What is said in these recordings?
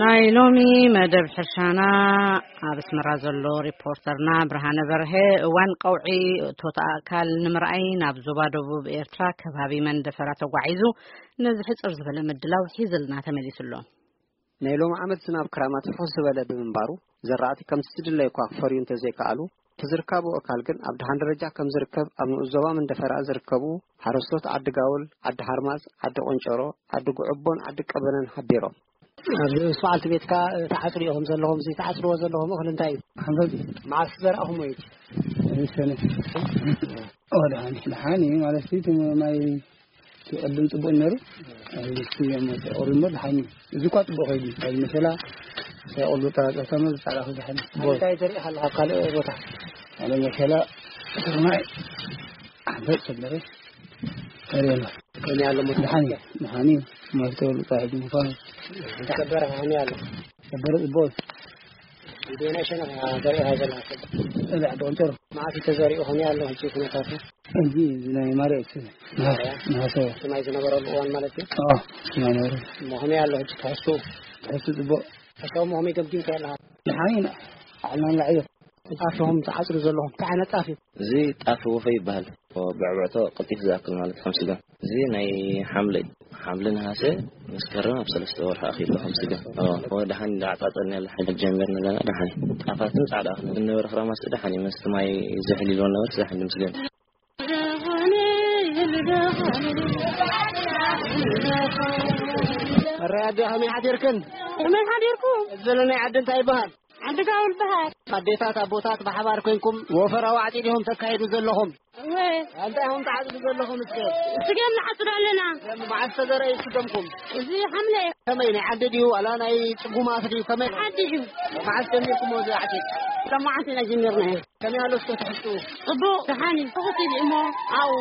ናይ ሎሚ መደብ ሕርሻና ኣብ ኣስመራ ዘሎ ሪፖርተርና ብርሃነ በርሀ፣ እዋን ቀውዒ እቶት ኣእካል ንምርኣይ ናብ ዞባ ደቡብ ኤርትራ ከባቢ መንደፈራ ተጓዒዙ፣ ነዚ ሕጽር ዝበለ ምድላው ሒዝልና ተመሊሱ ኣሎ። ናይ ሎሚ ዓመት ዝናብ ክራማት ፍኹስ ዝበለ ብምንባሩ፣ ዘራእቲ ከምቲ ዝድለይ እኳ ክፈርዩ እንተዘይከኣሉ፣ እቲ ዝርካቡ ኣእካል ግን ኣብ ደሓን ደረጃ ከም ዝርከብ ኣብ ንኡስ ዞባ መንደፈራ ዝርከቡ ሓረስቶት ዓዲ ጋውል፣ ዓዲ ሓርማዝ፣ ዓዲ ቆንጨሮ፣ ዓዲ ጉዕቦን ዓዲ ቀበነን ሓቢሮም። ኣብ በዓልቲ ቤትካ ተዓጽሩ ኢኹም ዘለኹም፣ እዚ ተዓጽርዎ ዘለኹም እኽሊ እንታይ እዩ? ሓንፈት። መዓስ ዘርኣኹም እዩ? ሰነ። ኦ፣ ደሓን፣ ደሓን እዩ ማለት እዩ። እቲ ማይ እቲ ቅድም ጽቡቕ ነይሩ። ኣብዚ እዮም ተቆሪሞ ደሓን እዩ። እዚ እኳ ጽቡቕ ከይዱ፣ ኣብዚ መሸላ ሳይቆሉ ጠራጠርታ ነው ዝጻዕዳ ክዝሓል። እንታይ ዘሪእኻ ኣለኻ ኣብ ካልእ ቦታ? ኣብ መሸላ ስርናይ ሓንፈት ሰበረ። ከሪና። ከመይ ኣሎ ሞት? ደሓን እዩ፣ ደሓን እዩ። መፍትሒ ሉጣ ሕጂ ምዃኑ። ሰበረ ከመይ ኣሎ? ሰበረ ጽቡቕ። ቪድዮ ናይ ሸነኻ ዘሪእኻ ዘለኻ ሰብ? እዛ ዶንተር። መዓስ እዩ ተዘሪኡ ከመይ ኣሎ ሕጂ ኩነታቱ? እዚ፣ እዚ ናይ ማርያም እዩ። ነሃሰ፣ ነሃሰ። እቲ ማይ ዝነበረሉ እዋን ማለት እዩ? ኣዎ፣ እቲ ማይ ነበረ። እሞ ከመይ ኣሎ ሕጂ ትሕዝቱ? ትሕዝቱ ጽቡቕ። ሕሳቡ እሞ ከመይ ገምጊምካ ኣለኻ? ደሓን ኢና። ዓልና ንላዕሊ። ጣፍኹም ትዓጽዱ ዘለኹም እንታይ ዓይነት ጣፍ እዩ? እዚ ጣፍ ወፈ ይበሃል። ብዕብዕቶ ቀልጢፍ ዝኣክል ማለት ከም ስጋ። እዚ ናይ ሓምለ እዩ። ሓምለ ነሃሰ መስከረም ኣብ ሰለስተ ወርሒ ኣኺሉ ከም ስጋ። ኣዎ፣ ደሓን እንዳዓጻጸድና ያለ ሓይሊ ጀሚርና ኣለና። ደሓን እዩ። ጣፋትን ጻዕዳ ኣኽሊ ዝነበረ ክራማት ደሓን እዩ። መስቲ ማይ ዝሕል ኢልዎ ነበረ፣ ደሓን እዩ ምስገን። መራይ ኣደ ከመይ ሓዲርክን? ከመይ ሓዲርኩም? እዚ ዘሎ ናይ ዓዲ እንታይ ይበሃል? ዓዲ ጋውል በሃል። ኣዴታት ኣቦታት ብሓባር ኮይንኩም ወፈራዊ ዓፂድ ኢኹም ተካይዱ ዘለኹም። እወ። እንታይ ኢኹም ትዓፅዱ ዘለኹም እስከ? ስገም ንዓፅዱ ኣለና። መዓስ ተዘርአ ስገምኩም? እዚ ሓምለ። ከመይ ናይ ዓዲ ድዩ ዋላ ናይ ፅጉማት ድዩ? ከመይ? ዓዲ እዩ። መዓስ ጀሚርኩሞ እዚ ዓፂድ? ሎማዓንቲ ኢና ጀሚርናዮ። ከመይ ኣሎ እስከ ትሕዝቱ? ጽቡቕ፣ ደሓን እዩ። ትሑት ኢሉ እሞ ኣብኡ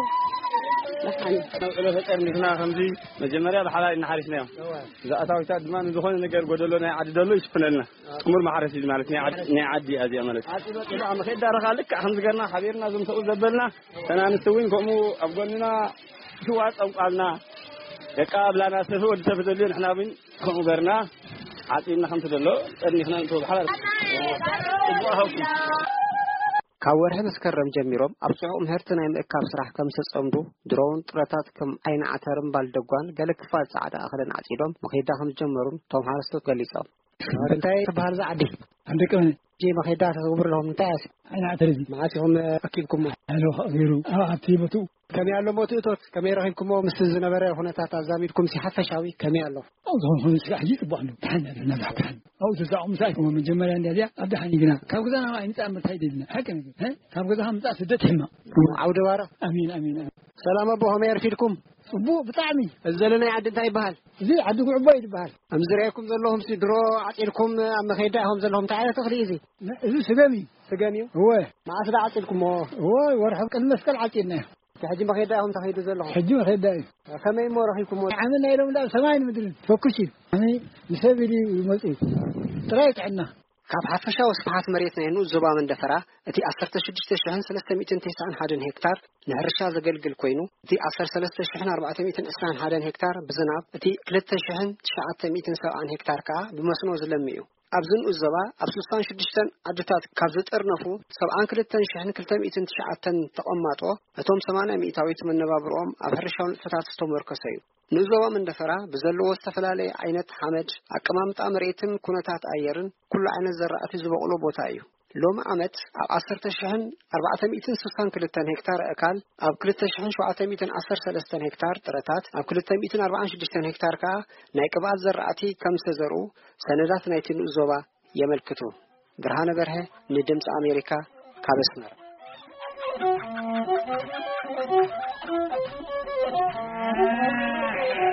ደሓን እዩ። ነውዕሎ ተጠርኒፍና ከምዚ መጀመርያ ብሓላይ እናሓሪስናዮ። እዋ። እዛ ኣታዊታት ድማ ንዝኾነ ነገር ጎደሎ ናይ ዓዲ ደሎ ይሽፍነልና። ጥሙር ማሕረስ እዩ ማለት ናይ ዓዲ፣ ናይ ዓዲ እያ እዚኣ ማለት። ዓዲ በፂሑ ኣብ መኼዳ ረኻ ልክዕ ከምዚ ገርና ሓቢርና እዞም ሰብኡ ዘበልና ተናንስቲ እውን ከምኡ ኣብ ጎንና ሽዋ ጸምቋልና ደቃ ኣብላና ሰፊ ወዲ ሰብ ዘድልዮ ንሕና እውን ከምኡ ገርና ዓፂድና ከምቲ ዘሎ ጠርኒፍና ንእቶ ብሓባር ጽቡቕ ሃውኩም። ካብ ወርሒ መስከረም ጀሚሮም ኣብ ጽዑቕ ምህርቲ ናይ ምእካብ ስራሕ ከም ዝተጸምዱ፣ ድሮውን ጥረታት ከም ዓይኒ ዓተርን ባልደጓን ገለ ክፋል ጻዕዳ እኽልን ዓጺዶም መኼዳ ከም ዝጀመሩን እቶም ሓረስቶት ገሊጾም። እንታይ ትበሃል እዛ ዓዲ? ዓዲ ቀበነ። እዚ መኼዳ ተተግብሩ ኣለኹም፣ እንታይ እያ? ዓይኒ ዓተር እዚ። መዓስ ኢኹም ኣኪብኩሞ? ኣለ ገይሩ ኣብ ኣብቲ ቦትኡ። ከመይ ኣሎ ሞት እቶት? ከመይ ረኺብኩሞ? ምስቲ ዝነበረ ኩነታት ኣዛሚድኩም ሲ ሓፈሻዊ ከመይ ኣሎ? ኣብኡ ዝኾነ ስራሕ እዩ ጽቡቕ ኣሎ። ደሓን ኣለና፣ ደሓን። ኣብኡ ተዛቑ ምሳይ ኮሞ መጀመርያ እንዲያ እዚኣ ኣብ ደሓን እዩ ግና። ካብ ገዛና ኣይምጻእ እምበር እንታይ ደልና? ሓቂ ነገር፣ እ? ካብ ገዛኻ ምጻእ ስደት ሕማቕ። ዓውደ ባራ። ኣሜን፣ ኣሜን፣ ኣሜን። ሰላም ኣቦ፣ ከመይ ኣርፊድኩም? ጽቡቕ ብጣዕሚ። እዚ ዘሎ ናይ ዓዲ እንታይ ይበሃል? እዚ ዓዲ ጉዕቦ እዩ ዝበሃል። ኣብ ዝርያኩም ዘለኹም ሲ ድሮ ዓጺድኩም ኣብ መኸይዳ ኢኹም ዘለኹም እንታይ ዓይነት እኽሊ እዩ እዚ? ነ-፣ እዚ ስገም እዩ። ስገም እዩ? እወ። መዓስ ዳ ዓጺድኩሞ? እወ፣ ወርሒ ቅድሚ መስቀል ዓጺድናዮ። ሕጂ መኸይዳ ኢኹም ተኸይዱ ዘለኹም? ሕጂ መኸይዳ እዩ። ከመይ እሞ ረኺብኩሞ? ዓመት ናይ ሎም ዳ ሰማይን ምድርን ፈኩስ እዩ። ኣነ ንሰብ ኢሉ ይመጽእ እዩ። ጥራይ ጥዕና። ካብ ሓፈሻዊ ስፍሓት መሬት ናይ ንኡስ ዞባ መንደፈራ፣ እቲ ዓሰርተ ሽዱሽተ ሽሕን ሰለስተ ሚእትን ተስዓን ሓደን ሄክታር ንሕርሻ ዘገልግል ኮይኑ፣ እቲ ዓሰርተ ሰለስተ ሽሕን ኣርባዕተ ሚእትን ዕስራን ሓደን ሄክታር ብዝናብ፣ እቲ ክልተ ሽሕን ትሽዓተ ሚእትን ሰብዓን ሄክታር ከኣ ብመስኖ ዝለሚ እዩ። ኣብዚ ንኡስ ዞባ ኣብ ስሳን ሽዱሽተን ዓድታት ካብ ዝጥርነፉ ሰብዓን ክልተን ሽሕን ክልተ ሚእትን ትሽዓተን ተቐማጦ፣ እቶም ሰማንያ ሚእታዊት መነባብርኦም ኣብ ሕርሻዊ ንጥፈታት ዝተመርኮሰ እዩ። ንዞባ መንደፈራ ብዘለዎ ዝተፈላለየ ዓይነት ሓመድ፣ ኣቀማምጣ መሬትን ኩነታት ኣየርን ኩሉ ዓይነት ዘራእቲ ዝበቑሎ ቦታ እዩ። ሎሚ ዓመት ኣብ ዓሰርተ ሽሕን ኣርባዕተ ሚእትን ስሳን ክልተን ሄክታር ኣእካል፣ ኣብ ክልተ ሽሕን ሸውዓተ ሚእትን ዓሰርተ ሰለስተን ሄክታር ጥረታት፣ ኣብ ክልተ ሚእትን ኣርባዓን ሽዱሽተን ሄክታር ከኣ ናይ ቅብኣት ዘራእቲ ከም ዝተዘርኡ ሰነዳት ናይቲ ንኡስ ዞባ የመልክቱ። ብርሃነ በርሀ ንድምፂ ኣሜሪካ ካብ ኣስመራ።